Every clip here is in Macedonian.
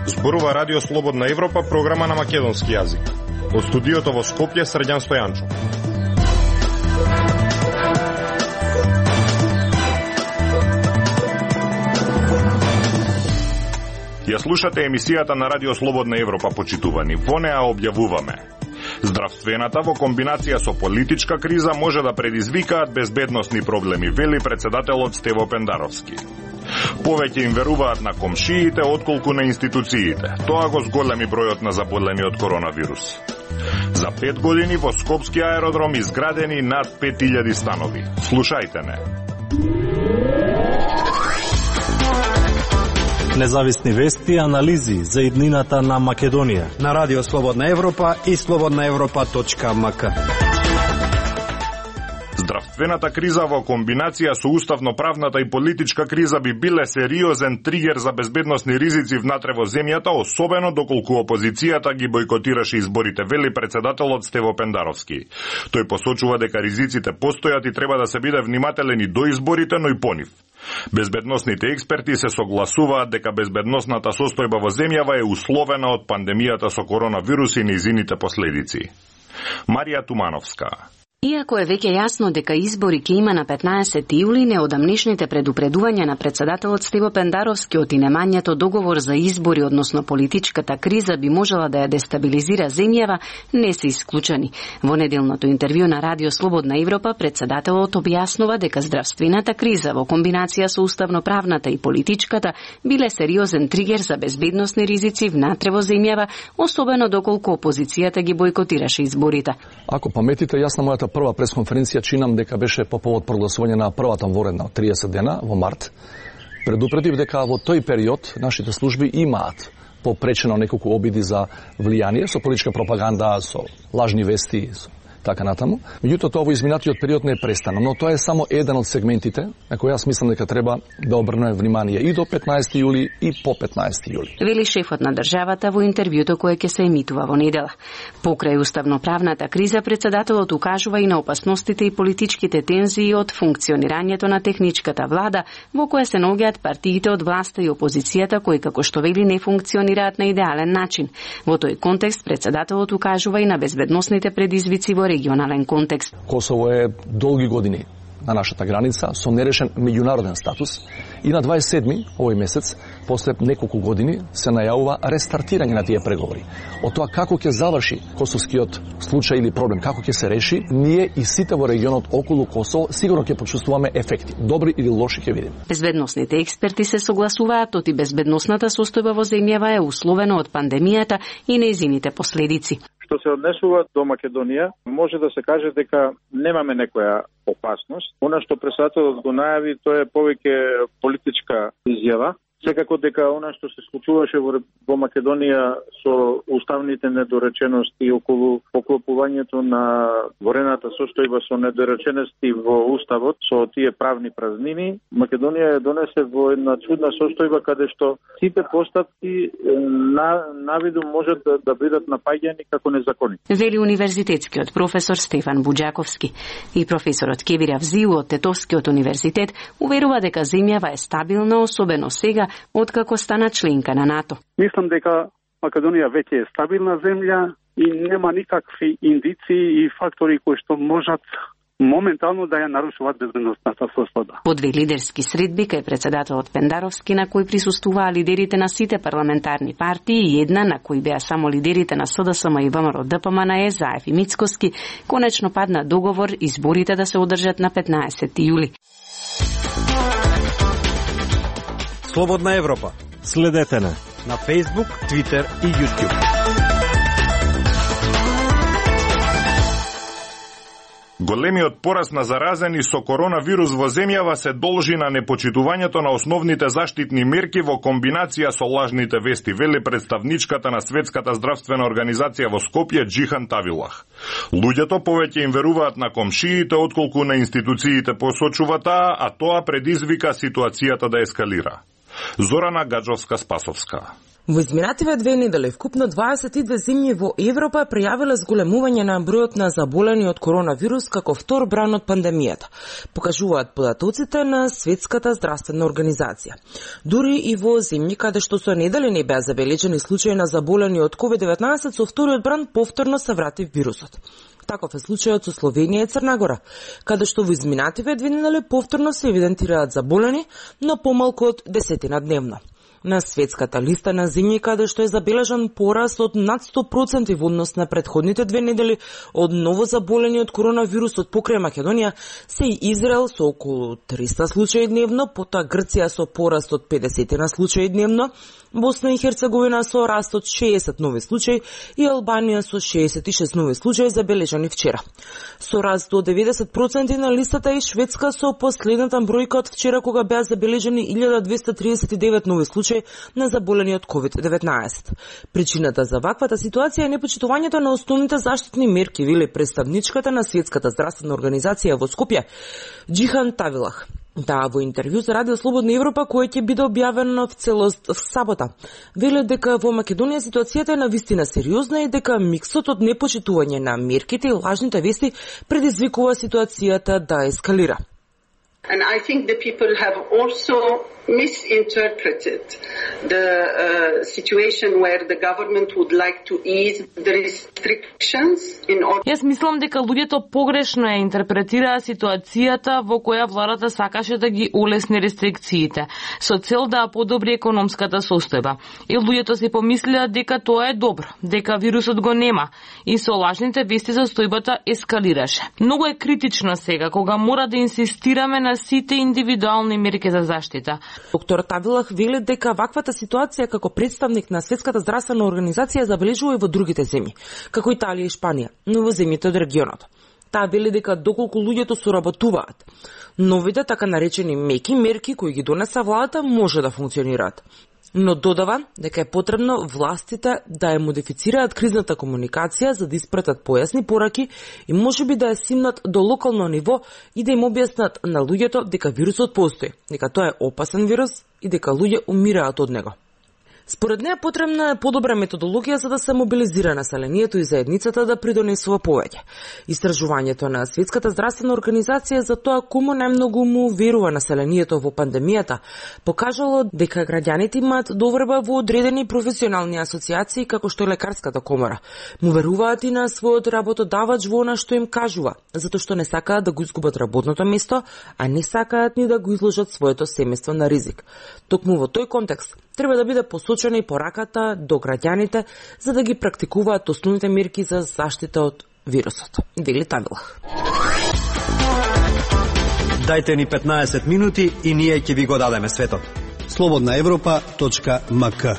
Зборува Радио Слободна Европа, програма на македонски јазик. Од студиото во Скопје, Срđan Стојанчов. Ја слушате емисијата на Радио Слободна Европа, почитувани. Во неа објавуваме: здравствената во комбинација со политичка криза може да предизвикаат безбедносни проблеми, вели председателот Стево Пендаровски. Повеќе им веруваат на комшиите отколку на институциите. Тоа го зголеми бројот на заболени од коронавирус. За 5 години во Скопски аеродром изградени над 5000 станови. Слушајте не. Независни вести и анализи за иднината на Македонија на Радио Слободна Европа и slobodnaevropa.mk. Здравствената криза во комбинација со уставно-правната и политичка криза би биле сериозен тригер за безбедносни ризици внатре во земјата, особено доколку опозицијата ги бойкотираше изборите, вели председателот Стево Пендаровски. Тој посочува дека ризиците постојат и треба да се биде внимателен и до изборите, но и по нив. Безбедносните експерти се согласуваат дека безбедносната состојба во земјава е условена од пандемијата со коронавирус и нејзините последици. Марија Тумановска. Иако е веќе јасно дека избори ќе има на 15 јули, неодамнишните предупредувања на председателот Стево Пендаровски од инемањето договор за избори, односно политичката криза би можела да ја дестабилизира земјава, не се исклучени. Во неделното интервју на Радио Слободна Европа, председателот објаснува дека здравствената криза во комбинација со уставно-правната и политичката биле сериозен тригер за безбедносни ризици внатре во земјава, особено доколку опозицијата ги бойкотираше изборите. Ако паметите, јас на мојата прва пресконференција чинам дека беше по повод прогласување на првата воредна од 30 дена во март. Предупредив дека во тој период нашите служби имаат попречено неколку обиди за влијание со политичка пропаганда, со лажни вести, така натаму. Меѓутоа тоа во изминатиот период не е престано, но тоа е само еден од сегментите на кој јас мислам дека треба да обрнеме внимание и до 15 јули и по 15 јули. Вели шефот на државата во интервјуто кое ќе се емитува во недела. Покрај уставно-правната криза, председателот укажува и на опасностите и политичките тензии од функционирањето на техничката влада, во која се наоѓаат партиите од власта и опозицијата кои, како што вели, не функционираат на идеален начин. Во тој контекст председателот укажува и на безбедносните предизвици во регионален контекст. Косово е долги години на нашата граница со нерешен меѓународен статус и на 27 овој месец, после неколку години, се најавува рестартирање на тие преговори. Од тоа како ќе заврши косовскиот случај или проблем, како ќе се реши, ние и сите во регионот околу Косово сигурно ќе почувствуваме ефекти, добри или лоши ќе видиме. Безбедносните експерти се согласуваат оти безбедносната состојба во земјава е условена од пандемијата и нејзините последици. Што се однесува до Македонија, може да се каже дека немаме некоја опасност. Она што председателот го најави, тоа е повеќе политичка изјава. Секако дека она што се случуваше во Македонија со уставните недоречености околу поклопувањето на ворената состојба со недоречености во уставот, со тие правни празнини, Македонија ја донесе во една чудна состојба каде што сите постапки навидум можат да бидат напаѓани како незаконни. Вели универзитетскиот професор Стефан Буџаковски. И професорот Кевир Авзиу од Тетовскиот универзитет уверува дека земјава е стабилна, особено сега откако стана членка на НАТО. Мислам дека Македонија веќе е стабилна земја и нема никакви индиции и фактори кои што можат моментално да ја нарушуваат безбедносната состојба. По две лидерски средби кај председателот Пендаровски на кој присуствуваа лидерите на сите парламентарни партии и една на кој беа само лидерите на СДСМ и ВМРО-ДПМН Заев и Мицкоски, конечно падна договор изборите да се одржат на 15 јули. Слободна Европа. Следете на Facebook, Twitter и YouTube. Големиот пораст на заразени со коронавирус во земјава се должи на непочитувањето на основните заштитни мерки во комбинација со лажните вести, вели представничката на Светската здравствена организација во Скопје Џихан Тавилах. Луѓето повеќе им веруваат на комшиите отколку на институциите, посочува таа, а тоа предизвика ситуацијата да ескалира. Зорана Гаджовска-Спасовска. Во изминативе 2 недели вкупно 22 земји во Европа пријавиле зголемување на бројот на заболени од коронавирус како втор бран од пандемијата, покажуваат податоците на Светската здравствена организација. Дури и во земји каде што со недели не беа забележени случаи на заболени од COVID-19, со вториот бран повторно се врати вирусот. Таков е случајот со Словенија и Црна Гора, каде што во изминативе 2 недели повторно се евидентираат заболени, но помалку од 10 дневно. На светската листа на земји каде што е забележан пораст од над 100% во однос на претходните 2 недели од ново заболени од коронавирусот покрај Македонија се и Израел со околу 300 случаи дневно, потоа Грција со пораст од 50 на случаи дневно, Босна и Херцеговина со раст од 60 нови случаи и Албанија со 66 нови случаи забележани вчера. Со раст до 90% на листата и Шведска со последната бројка од вчера кога беа забележени 1239 нови случаи на заболени од COVID-19. Причината за ваквата ситуација е непочитувањето на основните заштитни мерки, вели представничката на Светската здравствена организација во Скопје, Џихан Тавилах. Да, во интервју за Радио Слободна Европа, кој ќе биде објавено в целост в сабота, веле дека во Македонија ситуацијата е навистина сериозна и дека миксот од непочитување на мерките и лажните вести предизвикува ситуацијата да ескалира. And I think the people have also misinterpreted the situation where the government would like to ease the restrictions in order... Јас мислам дека луѓето погрешно ја интерпретираа ситуацијата во која владата сакаше да ги улесни рестрикциите, со цел да подобри економската состојба. И луѓето си помислеа дека тоа е добро, дека вирусот го нема, и со лажните вести состојбата ескалираше. Многу е критично сега, кога мора да инсистираме на сите индивидуални мерки за заштита. Доктор Тавилах вели дека ваквата ситуација како представник на Светската здравствена организација забележува и во другите земји, како Италија и Шпанија, но во земјите од регионот. Таа вели дека доколку луѓето соработуваат, новите така наречени меки мерки кои ги донеса владата може да функционираат. Но додава дека е потребно властите да ја модифицираат кризната комуникација за да испратат појасни пораки и можеби да ја симнат до локално ниво и да им објаснат на луѓето дека вирусот постои, дека тоа е опасен вирус и дека луѓе умираат од него. Според неа потребна е подобра методологија за да се мобилизира населението и заедницата да придонесува повеќе. Истражувањето на Светската здравствена организација за тоа кому најмногу му верува населението во пандемијата покажало дека граѓаните имаат доверба во одредени професионални асоциации како што е лекарската комора. Му веруваат и на својот работодавач во она што им кажува, затоа што не сакаат да го изгубат работното место, а не сакаат ни да го изложат своето семејство на ризик. Токму во тој контекст треба да биде посочена и пораката до граѓаните за да ги практикуваат основните мерки за заштита од вирусот. Вели Тавилах. Дајте ни 15 минути и ние ќе ви го дадеме светот. slobodnaevropa.mk.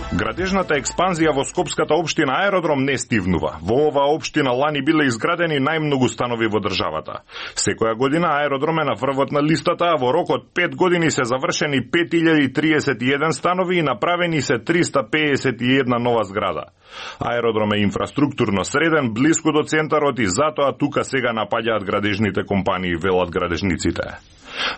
Градежната експанзија во Скопската општина Аеродром не стивнува. Во оваа општина лани биле изградени најмногу станови во државата. Секоја година Аеродром е на врвот на листата, а во рок од 5 години се завршени 5031 станови и направени се 351 нова зграда. Аеродром е инфраструктурно среден, блиску до центарот и затоа тука сега напаѓаат градежните компании, велат градежниците.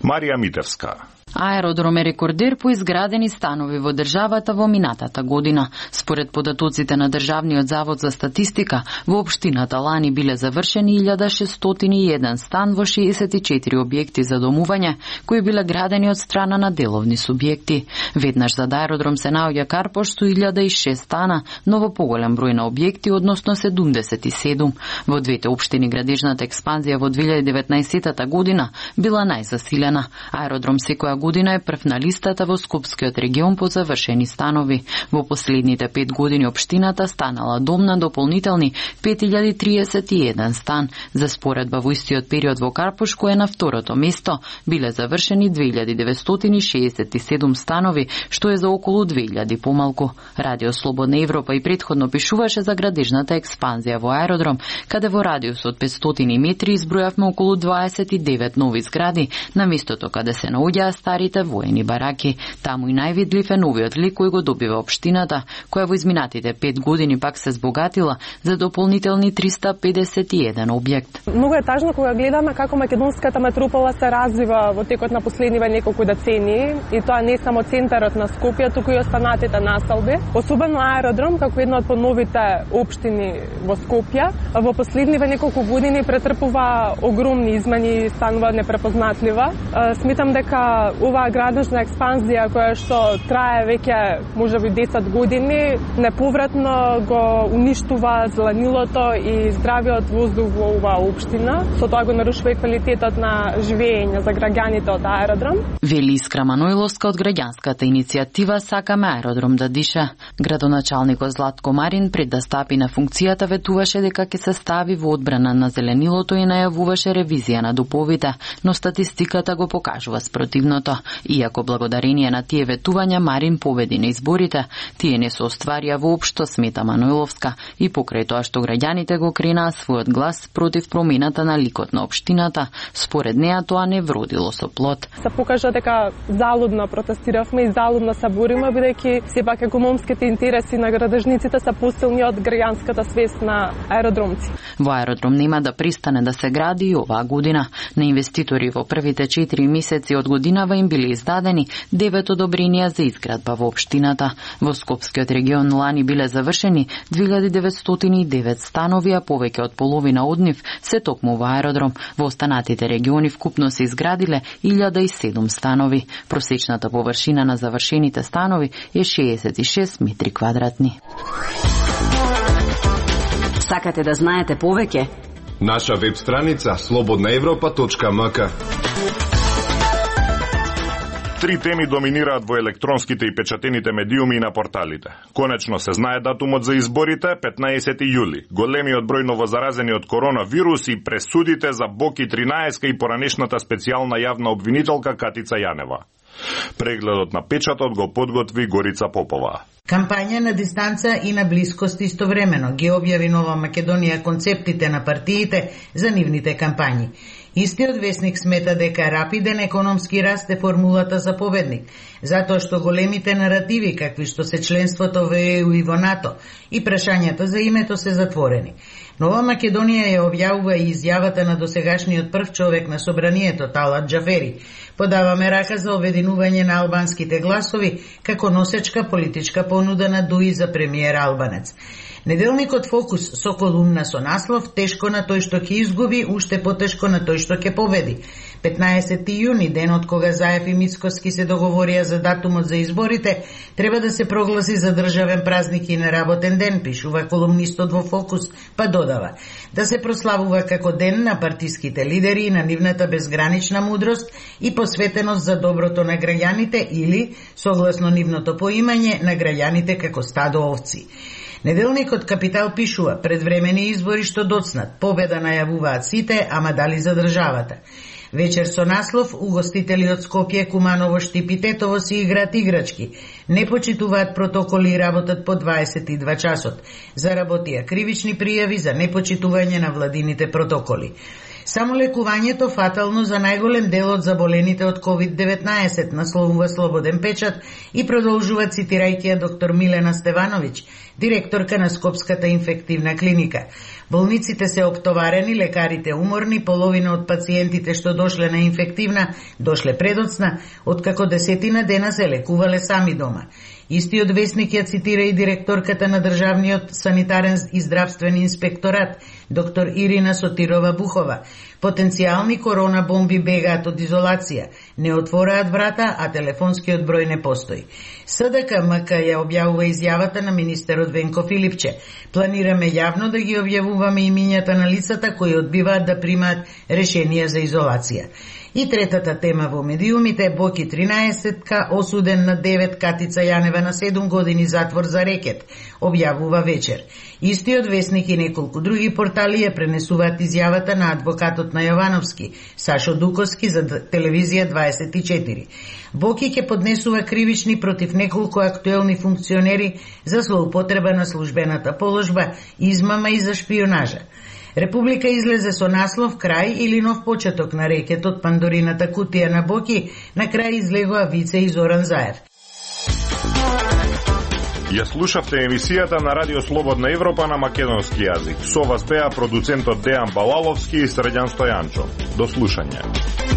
Марија Митевска. Аеродром е рекордер по изградени станови во државата во минатата година. Според податоците на Државниот завод за статистика, во општината лани биле завршени 1601 стан во 64 објекти за домување, кои биле градени од страна на деловни субјекти. Веднаш зад аеродром се наоѓа Карпош со 1006 стана, но во поголем број на објекти, односно 77. Во двете општини градежната експанзија во 2019 година била најзасилена. Аеродром секоја година е прв на листата во Скопскиот регион по завршени станови. Во последните 5 години општината станала дом на дополнителни 5031 стан. За споредба во истиот период во Карпош, кој е на второто место, биле завршени 2967 станови, што е за околу 2000 помалку. Радио Слободна Европа и претходно пишуваше за градежната експанзија во аеродром, каде во радиус од 500 метри избројавме околу 29 нови згради, на местото каде се наоѓаа старите воени бараки. Таму и највидлив е новиот лик кој го добива општината, која во изминатите 5 години пак се збогатила за дополнителни 351 објект. Многу е тажно кога гледаме како македонската метропола се развива во текот на последниве неколку децении, и тоа не само центарот на Скопје, туку и останатите населби. Особено аеродром, како една од поновите општини во Скопје, во последниве неколку години претрпува огромни измени и станува непрепознатлива. Сметам дека оваа градежна експанзија која што трае веќе можеби 10 години, неповратно го уништува зеленилото и здравиот воздух во оваа општина. Со тоа го нарушува и квалитетот на живење за граѓаните од аеродром. Вели Искра Маноиловска од граѓанската иницијатива Сакаме аеродром да диша. Градоначалникот Златко Марин пред да стапи на функцијата ветуваше дека ќе се стави во одбрана на зеленилото и најавуваше ревизија на дуповите, но статистиката го покажува спротивното. Иако благодарение на тие ветувања Марин победи на изборите, тие не се остварија воопшто, смета Маноиловска, и покрај тоа што граѓаните го кренаа својот глас против промената на ликот на општината, според неа тоа не вродило со плод. Се покажа дека залудно протестиравме и залудно се бориме, бидејќи сепак економските интереси на градежниците се посилни од граѓанската свест на аеродромци. Во аеродром нема да пристане да се гради и оваа година. На инвеститори во првите 4 месеци од годинава им биле издадени 9 одобренија за изградба во општината. Во Скопскиот регион лани биле завршени 2909 станови, а повеќе од половина од нив се токму во аеродром. Во останатите региони вкупно се изградиле 1007 станови. Просечната површина на завршените станови е 66 метри квадратни. Сакате да знаете повеќе? Наша веб страница slobodnaevropa.mk. Три теми доминираат во електронските и печатените медиуми и на порталите. Конечно се знае датумот за изборите, 15 јули. Големиот број новозаразени од коронавирус и пресудите за Боки 13 и поранешната специјална јавна обвинителка Катица Јанева. Прегледот на печатот го подготви Горица Попова. Кампања на дистанца и на блискост истовремено ги објави Нова Македонија концептите на партиите за нивните кампањи. Истиот весник смета дека рапиден економски раст е формулата за победник, затоа што големите наративи, какви што се членството во ЕУ и во НАТО, и прашањата за името се затворени. Нова Македонија ја објавува и изјавата на досегашниот прв човек на собранието, Талат Џафери. Подаваме рака за обединување на албанските гласови како носечка политичка понуда на Дуи за премиер албанец. Неделникот Фокус со колумна со наслов "Тешко на тој што ќе изгуби, уште потешко на тој што ќе победи". 15 јуни, денот кога Заев и Мицкоски се договорија за датумот за изборите, треба да се прогласи за државен празник и неработен ден, пишува колумнистот во Фокус, па додава: да се прославува како ден на партиските лидери и на нивната безгранична мудрост и посветеност за доброто на граѓаните или, согласно нивното поимање, на граѓаните како стадо овци. Неделникот Капитал пишува: предвремени избори што доцнат, победа најавуваат сите, ама дали за државата. Вечер со наслов угостители од Скопје, Куманово, Штип и Тетово си играат играчки. Не почитуваат протоколи и работат по 22 часот. Заработија кривични пријави за непочитување на владините протоколи. Само лекувањето фатално за најголем дел од заболените од COVID-19, насловува Слободен печат и продолжува цитирајќи ја доктор Милена Стевановиќ, директорка на Скопската инфективна клиника. Болниците се оптоварени, лекарите уморни, половина од пациентите што дошле на инфективна, дошле предоцна, откако 10 дена се лекувале сами дома. Истиот весник ја цитира и директорката на Државниот санитарен и здравствен инспекторат, доктор Ирина Сотирова Бухова. Потенцијални корона бомби бегаат од изолација, не отвораат врата, а телефонскиот број не постои. СДК-МК ја објавува изјавата на министерот Венко Филипче. Планираме јавно да ги објавуваме имињата на лицата кои одбиваат да примаат решенија за изолација. И третата тема во медиумите, Боки 13-ка осуден на 9, Катица Јанева на 7 години затвор за рекет, објавува вечер. Истиот весник и неколку други портали ја пренесуваат изјавата на адвокатот на Јовановски, Сашо Дуковски, за телевизија 24. Боки ќе поднесува кривични против неколку актуелни функционери за злоупотреба на службената положба, измама и за шпионажа. Република излезе со наслов крај или нов почеток на рекетот Пандорината кутија на Боки, на крај излегоа Вице и Зоран Заев. Ја слушавте емисијата на Радио Слободна Европа на македонски јазик. Со вас беа продуцентот Дејан Балаловски и Средјан Стојанчо. До слушање.